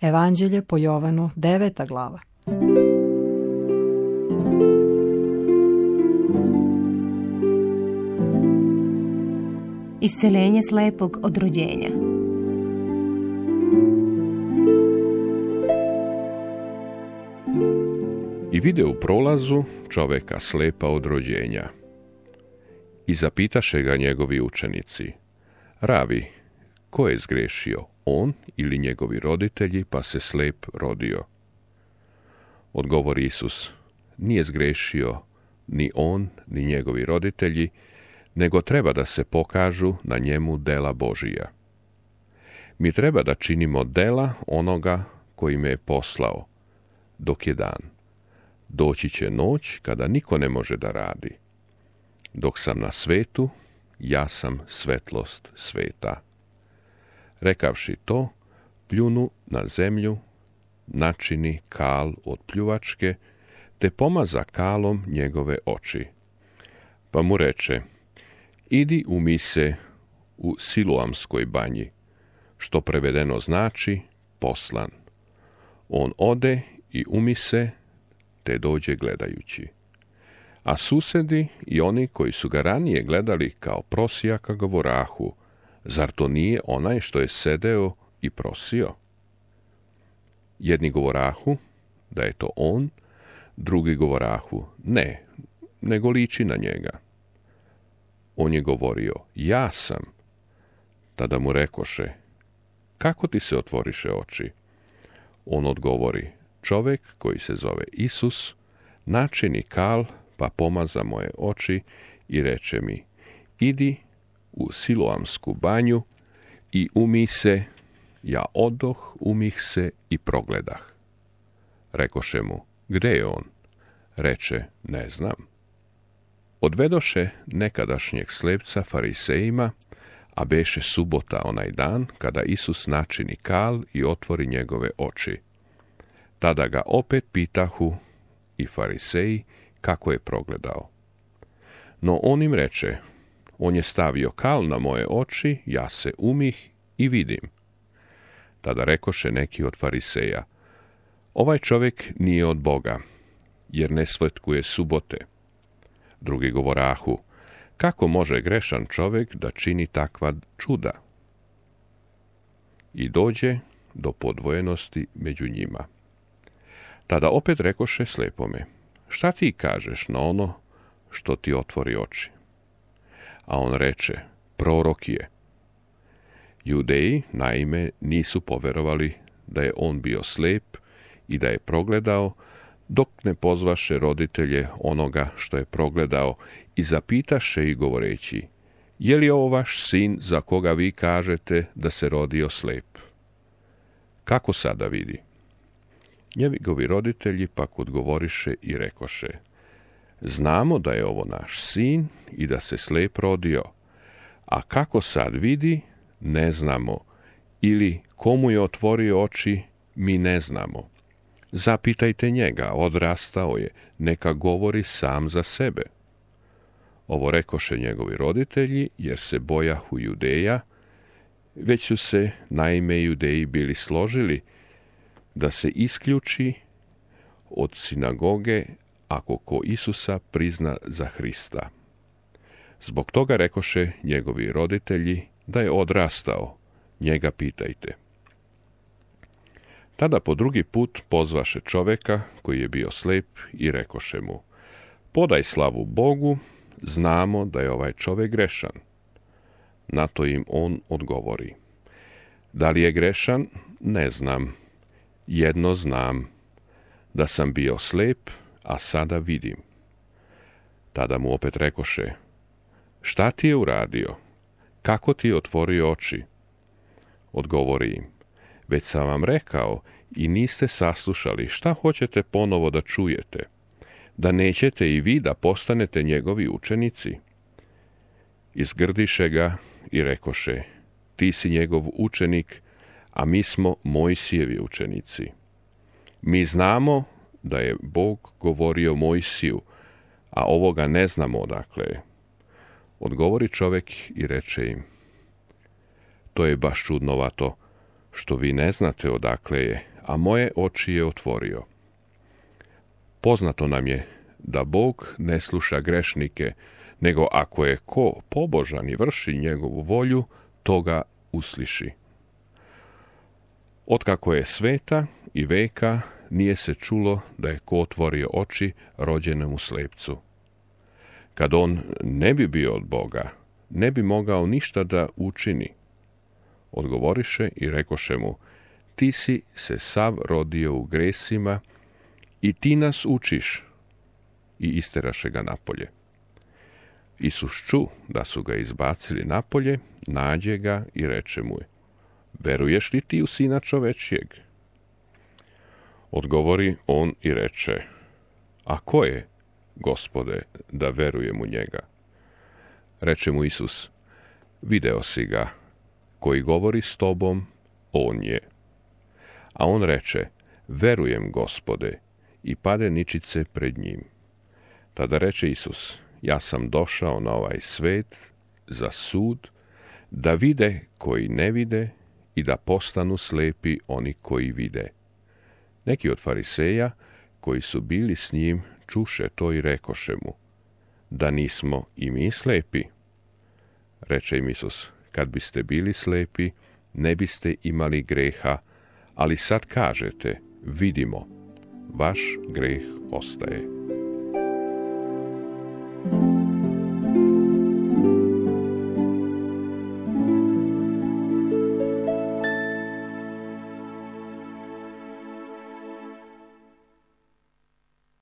Evanđelje po Jovanu, 9. glava. Isceljenje slepog od rođenja. I vide u prolazu čoveka slepa od rođenja. I zapitaše ga njegovi učenici: Ravi, ko je zgrešio, on ili njegovi roditelji, pa se slep rodio? Odgovori Isus: Nije zgrešio ni on, ni njegovi roditelji, nego treba da se pokažu na njemu dela Božija. Mi treba da činimo dela onoga koji me je poslao, dok je dan. Doći će noć kada niko ne može da radi. Dok sam na svetu, ja sam svetlost sveta. Rekavši to, pljunu na zemlju, načini kal od pljuvačke, te pomaza kalom njegove oči. Pa mu reče: Idi umij se u Siloamskoj banji, što prevedeno znači poslan. On ode i umi se, te dođe gledajući. A susedi i oni koji su ga ranije gledali kao prosijaka govorahu: Zar to nije onaj što je sedeo i prosio? Jedni govorahu da je to on, drugi govorahu ne, nego liči na njega. On je govorio: Ja sam. Tada mu rekoše: Kako ti se otvoriše oči? On odgovori: Čovek koji se zove Isus načini kal, pa pomaza moje oči i reče mi: Idi u Siloamsku banju i umij se. Ja odoh, umih se i progledah. Rekoše mu: Gde je on? Reče: Ne znam. Odvedoše nekadašnjeg slepca farisejima, a beše subota onaj dan kada Isus načini kal i otvori njegove oči. Tada ga opet pitahu i fariseji kako je progledao. No on im reče: On je stavio kal na moje oči, ja se umih i vidim. Tada rekoše neki od fariseja: Ovaj čovjek nije od Boga, jer ne svetkuje subote. Drugi govorahu: Kako može grešan čovjek da čini takva čuda? I dođe do podvojenosti među njima. Tada opet rekoše slepome: Šta ti kažeš na ono što ti otvori oči? A on reče: Prorok je. Judeji, naime, nisu poverovali da je on bio slep i da je progledao, dok ne pozvaše roditelje onoga što je progledao i zapitaše ih govoreći: Je li ovo vaš sin za koga vi kažete da se rodio slep? Kako sada vidi? Njegovi roditelji pak odgovoriše i rekoše: Znamo da je ovo naš sin i da se slep rodio, a kako sad vidi, ne znamo, ili komu je otvorio oči, mi ne znamo. Zapitajte njega, odrastao je, neka govori sam za sebe. Ovo rekoše njegovi roditelji, jer se bojahu Judeja, već su se naime Judeji bili složili da se isključi od sinagoge ako ko Isusa prizna za Hrista. Zbog toga rekoše njegovi roditelji da je odrastao, njega pitajte. Tada po drugi put pozvaše čoveka koji je bio slep i rekoše mu: Podaj slavu Bogu, znamo da je ovaj čovek grešan. Na to im on odgovori: Da li je grešan, ne znam. Jedno znam, da sam bio slep, a sada vidim. Tada mu opet rekoše: Šta ti je uradio? Kako ti je otvorio oči? Odgovori im: Već sam vam rekao i niste saslušali, šta hoćete ponovo da čujete? Da nećete i vi da postanete njegovi učenici? Izgrdiše ga i rekoše: Ti si njegov učenik, a mi smo Mojsijevi učenici. Mi znamo da je Bog govorio Mojsiju, a ovoga ne znamo odakle je. Odgovori čovjek i reče im: To je baš čudnovato, što vi ne znate odakle je, a moje oči je otvorio. Poznato nam je da Bog ne sluša grešnike, nego ako je ko pobožan i vrši njegovu volju, toga usliši. Otkako je sveta i veka, nije se čulo da je ko otvorio oči rođenemu slepcu. Kad on ne bi bio od Boga, ne bi mogao ništa da učini. Odgovoriše i rekoše mu, ti si se sav rodio u gresima i ti nas učiš. I isteraše ga napolje. Isus ču da su ga izbacili napolje, nađe ga i reče mu, veruješ li ti u Sina čovečijeg? Odgovori on i reče, a ko je, Gospode, da verujem u njega? Reče mu Isus, video si ga, koji govori s tobom, on je. A on reče, verujem, Gospode, i pade ničice pred njim. Tada reče Isus, ja sam došao na ovaj svet za sud, da vide koji ne vide i da postanu slepi oni koji vide. Neki od fariseja, koji su bili s njim, čuše to i rekoše mu, da nismo i mi slepi. Reče im Isus, kad biste bili slepi, ne biste imali greha, ali sad kažete, vidimo, vaš greh ostaje.